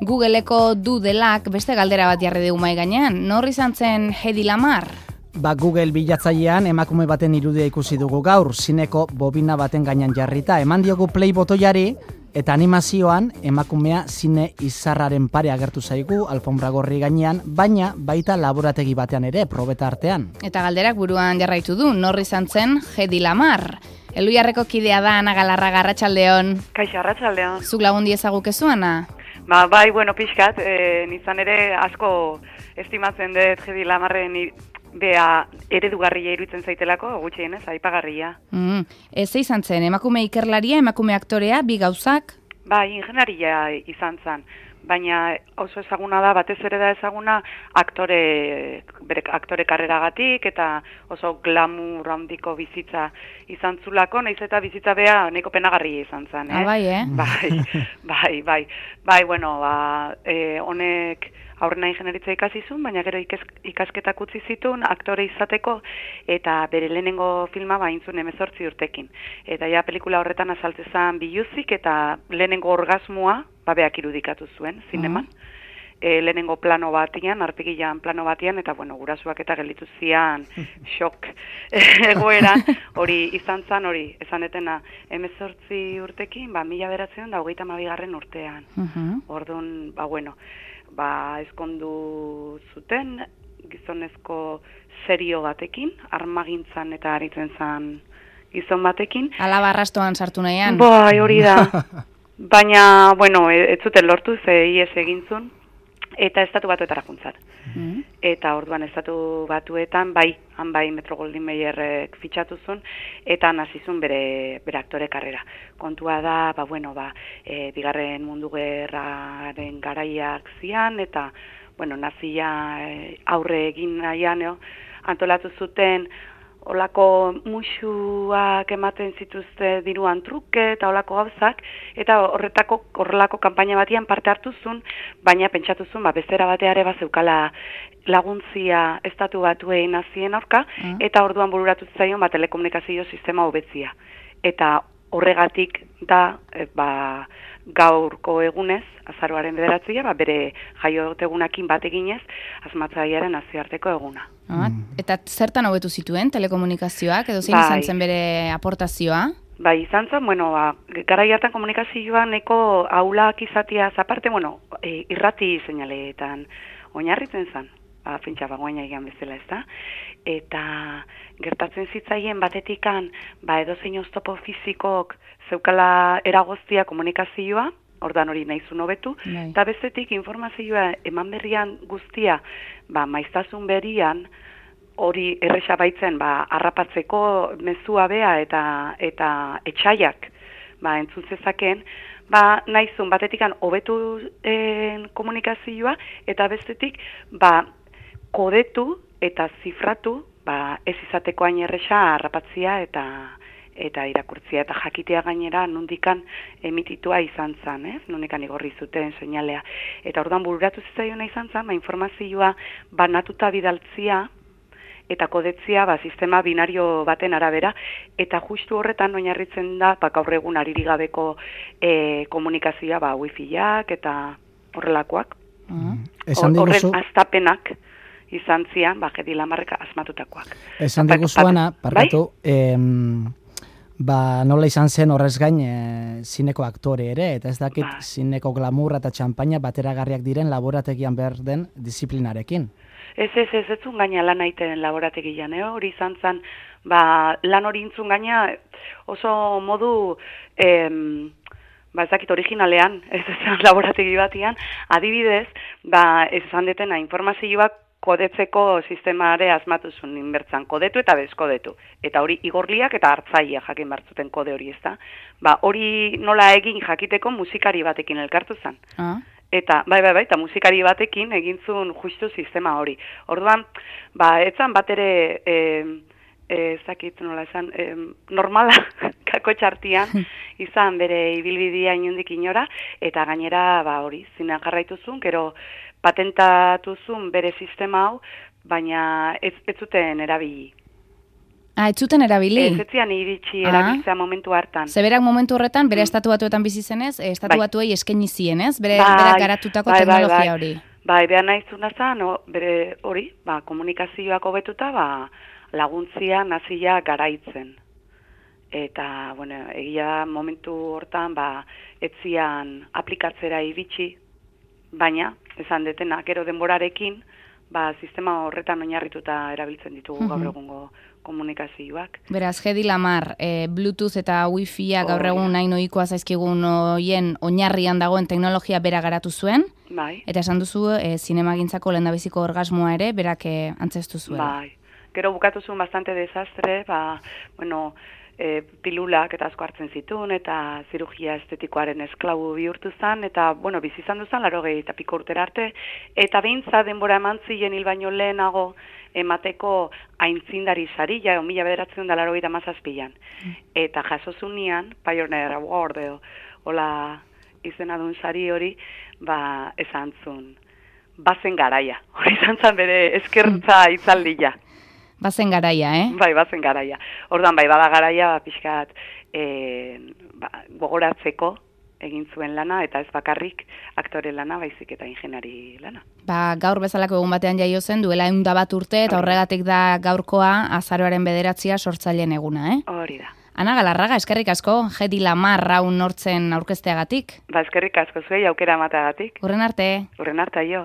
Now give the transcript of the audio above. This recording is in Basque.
Googleeko Doodleak beste galdera bat jarri dugu mahai gainean. Nor izan zen Hedy Lamarr? Google bilatzailean emakume baten irudia ikusi dugu gaur, zineko bobina baten gainean jarrita. Eman diogu play botoiari eta animazioan emakumea zine izarraren pare agertu zaigu alfombra gorri gainean, baina baita laborategi batean ere, probeta artean. Eta galderak buruan jarraitu du, nor izan zen Hedy Lamarr? Elhuiarreko kidea da Ana Galarraga, arratsaldeon. Kaixo, arratsaldeon. Zuk lagundi ezagukezu, Ana? Bai, pixkat, nizan ere asko estimatzen dut Hedy Lamarren bea eredugarria iruditzen zaitelako, gutxienez, aipagarria. Ez izan zen, emakume ikerlaria, emakume aktorea, bi gauzak? Bai, ingenieria izan zen, baina oso ezaguna da, batez ere da ezaguna bere aktore karreragatik eta oso glamour handiko bizitza izan zulako, nahiz eta bizitza bea nahiko penagarria izan zen. Honek aurrena ingenieritza ikasi zuen, baina gero ikasketak utzi zituen aktore izateko eta bere lehenengo filma baintzun 18 urtekin. Eta ja pelikula horretan azaltzezan biluzik eta lehenengo orgasmoa beak irudikatu zuen, zineman. Lehenengo plano batian, arpegilan plano batian, eta gurasuak eta gelditu zian xok egoeran, hori izan zan, hori esan etena 18 urtekin, 1922 urtean. Orduan, ezkondu zuten, gizonezko serio batekin, armagintzan eta aritzen zan gizon batekin. Alaba arrastoan sartu nahian. Bai, hori da. Baina, ez zuten lortu, ihes egintzun, eta estatu batuetara juntzat. Eta orduan estatu batuetan, han bai Metro Goldwyn Mayerrek fitxatu zuen, eta nazizun bere aktore karrera. Kontua da, bigarren mundu gerraren garaiak zian, eta, nazia aurre egin nahian, antolatu zuten, olako musuak ematen zituzte diruan truke eta olako gauzak, eta horrelako kanpaina batian parte hartu zuen, baina pentsatu zuen, bezera bateare zeukala laguntzia estatu batuei nazien aurka, eta orduan bururatu zaion telekomunikazio sistema hobetzia. Eta horregatik da, gaurko egunez, azaroaren 9, bere jaiotegunakin bat eginez, asmatzailearen nazioarteko eguna. Eta zertan hobetu zituen telekomunikazioak, edo zein izan zen bere aportazioa? Bai, izan zen, garai hartan komunikazioa neko aulak izatea aparte, irrati seinaleetan oinarritzen zen, fintxa bagoaina egan bezala, ez da? Eta gertatzen zitzaien batetikan, edozein oztopo fizikok zeukala eragoztia komunikazioa, ordan hori nahizun hobetu, eta bestetik informazioa eman berrian guztia, maiztasun berrian, hori erresa baitzen, harrapatzeko mezua bea eta etxaiak, entzun zezaken, nahizun batetikan hobetu komunikazioa, eta bestetik, kodetu eta zifratu, ez izateko hain erresa harrapatzia eta irakurtzia, eta jakitea gainera nondikan emititua izan zen, nondikan igorri zuten seinalea. Eta orduan bururatu zitzaiona izan zen, informazioa banatuta bidaltzia eta kodetzia sistema binario baten arabera, eta justu horretan oinarritzen da gaur egun aririk gabeko komunikazioa wifiak eta horrelakoak. Horren aztapenak izan zian, Hedy Lamarrek asmatutakoak. Esan diguzuana, parkatu, nola izan zen horrez gain zineko aktore ere, eta ez dakit zineko glamurra eta txampaina bateragarriak diren laborategian behar den disiplinarekin. Ez zun gaina lan aiten laborategian, hori izan zen, lan hori intzun gaina oso modu, ez dakit originalean, ez zen laborategi batian, adibidez, ez esan detena informazioak kodetzeko sistemare asmatu zuen inbertzan, kodetu eta bezkodetu. Eta hori igorliak eta hartzaia jakin bartzuten kode hori, ez da? Hori nola egin jakiteko musikari batekin elkartu zen. Eta, eta musikari batekin egin zuen justu sistema hori. Orduan, etzan bat ere, ezakit nola esan, normala kako txartian izan bere ibilbidea inundik inora, eta gainera, hori, zinean jarraitu zuen, gero patentatu zuen bere sistema hau, baina ez zuten erabili. Ez zuten erabili? Ez etzian iritsi erabiltzea momentu hartan. Zeberak momentu horretan, bere estatu batuetan bizi zenez, estatu batuei eskaini zienez, berak garatutako teknologia hori. Bai, behar nahizuna zen, bere hori, komunikazioak hobetuta, laguntzia nazia garaitzen. Eta, bueno, egia momentu hortan, etzian aplikatzera iritsi, baina, esan detena, gero denborarekin, sistema horretan oinarrituta erabiltzen ditugu gaur egungo komunikazioak. Beraz, Hedy Lamarr, Bluetooth eta Wi-Fi gaur egun nahi ohikoa zaizkigun hoien oinarrian dagoen teknologia bera garatu zuen, eta esan duzu zinemagintzako lehendabiziko orgasmoa ere berak antzestu zuen. Bai, gero bukatu zuen bastante desastre, pilulak eta asko hartzen zituen, eta zirugia estetikoaren esklabu bihurtu zen, eta, bizi izan duzan, 80 piko urtera arte, eta behintza denbora eman ziren hil baino lehenago emateko aintzindari saria, 1987an. Eta jasozunean, Pioneer Award, hola izena duen sari hori, esan zuen, bazen garaia, hori izan zen bere eskertza itzaldia. Bazen garaia, Bai, bazen garaia. Ordan bada garaia, pixkat gogoratzeko egin zuen lana, eta ez bakarrik aktore lana, baizik eta ingeniari lana. Gaur bezalako egun batean jaio zen, duela 101 urte, eta horregatik da gaurkoa azaroaren 9 sortzaileen eguna, Hori da. Ana Galarraga, eskerrik asko, Hedy Lamarr hau nortzen aurkezteagatik. Eskerrik asko zuei aukera emateagatik. Hurren arte. Hurren arte, jo.